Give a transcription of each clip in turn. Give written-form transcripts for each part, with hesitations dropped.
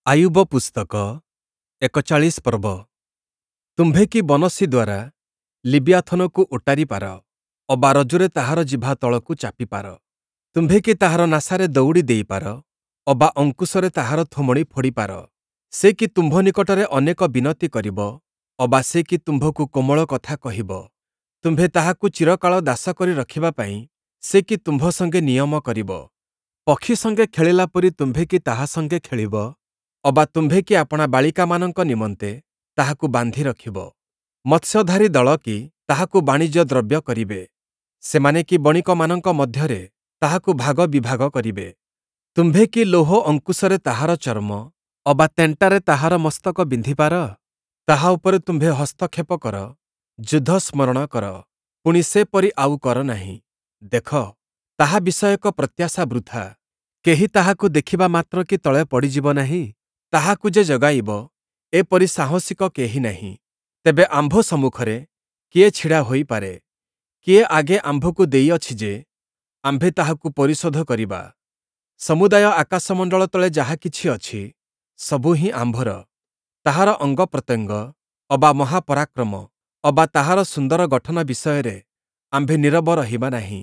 ଆୟୁବ ପୁସ୍ତକ ୪୧ ପର୍ବ। ତୁମ୍ଭେ କି ବନଶୀ ଦ୍ୱାରା ଲିବିଆଥନକୁ ଓଟାରି ପାର, ଅବା ରଜ୍ଜୁରେ ତାହାର ଜିଭା ତଳକୁ ଚାପିପାର? ତୁମ୍ଭେ କି ତାହାର ନାସାରେ ଦଉଡ଼ି ଦେଇପାର, ଅବା ଅଙ୍କୁଶରେ ତାହାର ଥୋମଣି ଫୋଡ଼ିପାର? ସେ କି ତୁମ୍ଭ ନିକଟରେ ଅନେକ ବିନତି କରିବ, ଅବା ସେ କି ତୁମ୍ଭକୁ କୋମଳ କଥା କହିବ? ତୁମ୍ଭେ ତାହାକୁ ଚିରକାଳ ଦାସ କରି ରଖିବା ପାଇଁ ସେ କି ତୁମ୍ଭ ସଙ୍ଗେ ନିୟମ କରିବ? ପକ୍ଷୀ ସଙ୍ଗେ ଖେଳିଲା ପରି ତୁମ୍ଭେ କି ତାହା ସଙ୍ଗେ ଖେଳିବ, ଅବା ତୁମ୍ଭେ କି ଆପଣା ବାଳିକାମାନଙ୍କ ନିମନ୍ତେ ତାହାକୁ ବାନ୍ଧି ରଖିବ? ମତ୍ସ୍ୟଧାରୀ ଦଳ କି ତାହାକୁ ବାଣିଜ୍ୟ ଦ୍ରବ୍ୟ କରିବେ? ସେମାନେ କି ବଣିକମାନଙ୍କ ମଧ୍ୟରେ ତାହାକୁ ଭାଗ ବିଭାଗ କରିବେ? ତୁମ୍ଭେ କି ଲୌହ ଅଙ୍କୁଶରେ ତାହାର ଚର୍ମ, ଅବା ତେଣ୍ଟାରେ ତାହାର ମସ୍ତକ ବିନ୍ଧିପାର? ତାହା ଉପରେ ତୁମ୍ଭେ ହସ୍ତକ୍ଷେପ କର, ଯୁଦ୍ଧ ସ୍ମରଣ କର, ପୁଣି ସେପରି ଆଉ କର ନାହିଁ। ଦେଖ, ତାହା ବିଷୟକ ପ୍ରତ୍ୟାଶା ବୃଥା। କେହି ତାହାକୁ ଦେଖିବା ମାତ୍ରକେ ତଳେ ପଡ଼ିଯିବ ନାହିଁ? ତାହାକୁ ଯେ ଜଗାଇବ, ଏପରି ସାହସିକ କେହି ନାହିଁ। ତେବେ ଆମ୍ଭ ସମ୍ମୁଖରେ କିଏ ଛିଡ଼ା ହୋଇପାରେ? କିଏ ଆଗେ ଆମ୍ଭକୁ ଦେଇଅଛି ଯେ, ଆମ୍ଭେ ତାହାକୁ ପରିଶୋଧ କରିବା? ସମୁଦାୟ ଆକାଶମଣ୍ଡଳ ତଳେ ଯାହା କିଛି ଅଛି, ସବୁ ହିଁ ଆମ୍ଭର। ତାହାର ଅଙ୍ଗପ୍ରତ୍ୟଙ୍ଗ ଅବା ମହାପରାକ୍ରମ ଅବା ତାହାର ସୁନ୍ଦର ଗଠନ ବିଷୟରେ ଆମ୍ଭେ ନୀରବ ରହିବା ନାହିଁ।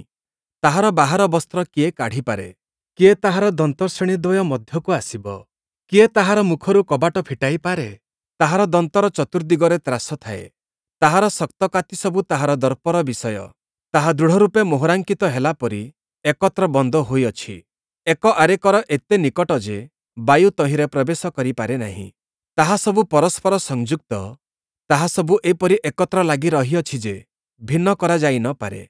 ତାହାର ବାହାର ବସ୍ତ୍ର କିଏ କାଢ଼ିପାରେ? କିଏ ତାହାର ଦନ୍ତଶ୍ରେଣୀଦ୍ୱୟ ମଧ୍ୟକୁ ଆସିବ? କିଏ ତାହାର ମୁଖରୁ କବାଟ ଫିଟାଇପାରେ? ତାହାର ଦନ୍ତର ଚତୁର୍ଦ୍ଦିଗରେ ତ୍ରାସ ଥାଏ। ତାହାର ଶକ୍ତ କାତିସବୁ ତାହାର ଦର୍ପର ବିଷୟ। ତାହା ଦୃଢ଼ରୂପେ ମୋହରାଙ୍କିତ ହେଲା ପରି ଏକତ୍ର ବନ୍ଦ ହୋଇଅଛି। ଏକ ଆରେକର ଏତେ ନିକଟ ଯେ, ବାୟୁ ତହିଁରେ ପ୍ରବେଶ କରିପାରେ ନାହିଁ। ତାହା ସବୁ ପରସ୍ପର ସଂଯୁକ୍ତ, ତାହା ସବୁ ଏପରି ଏକତ୍ର ଲାଗି ରହିଅଛି ଯେ, ଭିନ୍ନ କରାଯାଇ ନ ପାରେ।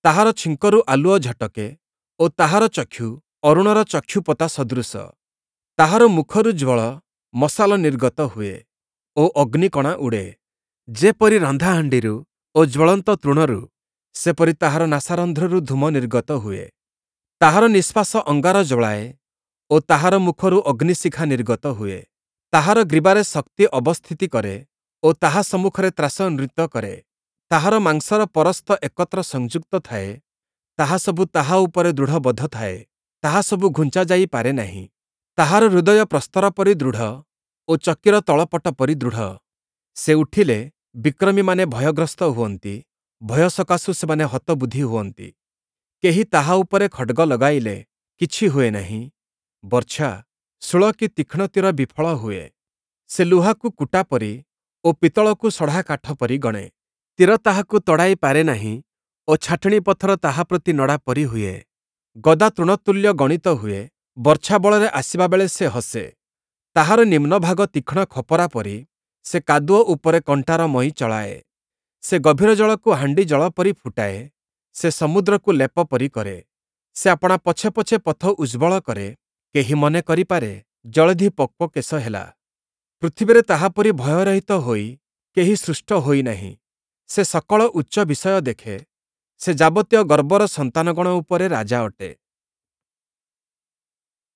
ତାହାର ଛିଙ୍କରୁ ଆଲୁଅ ଝଟକେ ଓ ତାହାର ଚକ୍ଷୁ ଅରୁଣର ଚକ୍ଷୁପତା ସଦୃଶ। ତାହାର ମୁଖରୁ ଜ୍ୱଳ ମଶାଲ ନିର୍ଗତ ହୁଏ ଓ ଅଗ୍ନିକଣା ଉଡ଼େ। ଯେପରି ରନ୍ଧାହାଣ୍ଡିରୁ ଓ ଜ୍ୱଳନ୍ତ ତୃଣରୁ, ସେପରି ତାହାର ନାସାରନ୍ଧ୍ରରୁ ଧୂମ ନିର୍ଗତ ହୁଏ। ତାହାର ନିଶ୍ୱାସ ଅଙ୍ଗାର ଜ୍ୱଳାଏ ଓ ତାହାର ମୁଖରୁ ଅଗ୍ନିଶିଖା ନିର୍ଗତ ହୁଏ। ତାହାର ଗ୍ରୀବାରେ ଶକ୍ତି ଅବସ୍ଥିତି କରେ ଓ ତାହା ସମ୍ମୁଖରେ ତ୍ରାସ ନୃତ୍ୟ କରେ। ତାହାର ମାଂସର ପରସ୍ତ ଏକତ୍ର ସଂଯୁକ୍ତ ଥାଏ, ତାହା ସବୁ ତାହା ଉପରେ ଦୃଢ଼ବଦ୍ଧ ଥାଏ, ତାହା ସବୁ ଘୁଞ୍ଚାଯାଇ ପାରେ ନାହିଁ। ତାହାର ହୃଦୟ ପ୍ରସ୍ତର ପରି ଦୃଢ଼ ଓ ଚକିର ତଳପଟ ପରି ଦୃଢ଼। ସେ ଉଠିଲେ ବିକ୍ରମୀମାନେ ଭୟଗ୍ରସ୍ତ ହୁଅନ୍ତି, ଭୟ ସକାଶୁ ସେମାନେ ହତବୁଦ୍ଧି ହୁଅନ୍ତି। କେହି ତାହା ଉପରେ ଖଡ଼୍ଗ ଲଗାଇଲେ କିଛି ହୁଏ ନାହିଁ, ବର୍ଚ୍ଛା, ଶୂଳ କି ତୀକ୍ଷ୍ଣ ତୀର ବିଫଳ ହୁଏ। ସେ ଲୁହାକୁ କୁଟା ପରି ଓ ପିତ୍ତଳକୁ ସଢ଼ା କାଠ ପରି ଗଣେ। ତୀର ତାହାକୁ ତଡ଼ାଇ ପାରେ ନାହିଁ ଓ ଛାଟିଣୀ ପଥର ତାହା ପ୍ରତି ନଡ଼ା ପରି ହୁଏ। ଗଦା ତୃଣତୁଲ୍ୟ ଗଣିତ ହୁଏ, ବର୍ଚ୍ଛା ବଳରେ ଆସିବାବେଳେ ସେ ହସେ। ତାହାର ନିମ୍ନଭାଗ ତୀକ୍ଷ୍ଣ ଖପରା ପରି, ସେ କାଦୁଅ ଉପରେ କଣ୍ଟାର ମଇ ଚଳାଏ। ସେ ଗଭୀର ଜଳକୁ ହାଣ୍ଡି ଜଳ ପରି ଫୁଟାଏ, ସେ ସମୁଦ୍ରକୁ ଲେପ ପରି କରେ। ସେ ଆପଣା ପଛେ ପଛେ ପଥ ଉଜ୍ଜ୍ୱଳ କରେ, କେହି ମନେ କରିପାରେ, ଜଳଧି ପକ୍ୱକେଶ ହେଲା। ପୃଥିବୀରେ ତାହାପରି ଭୟରହିତ ହୋଇ କେହି ସୃଷ୍ଟ ହୋଇନାହିଁ। ସେ ସକଳ ଉଚ୍ଚ ବିଷୟ ଦେଖେ, ସେ ଯାବତୀୟ ଗର୍ବର ସନ୍ତାନଗଣ ଉପରେ ରାଜା ଅଟେ।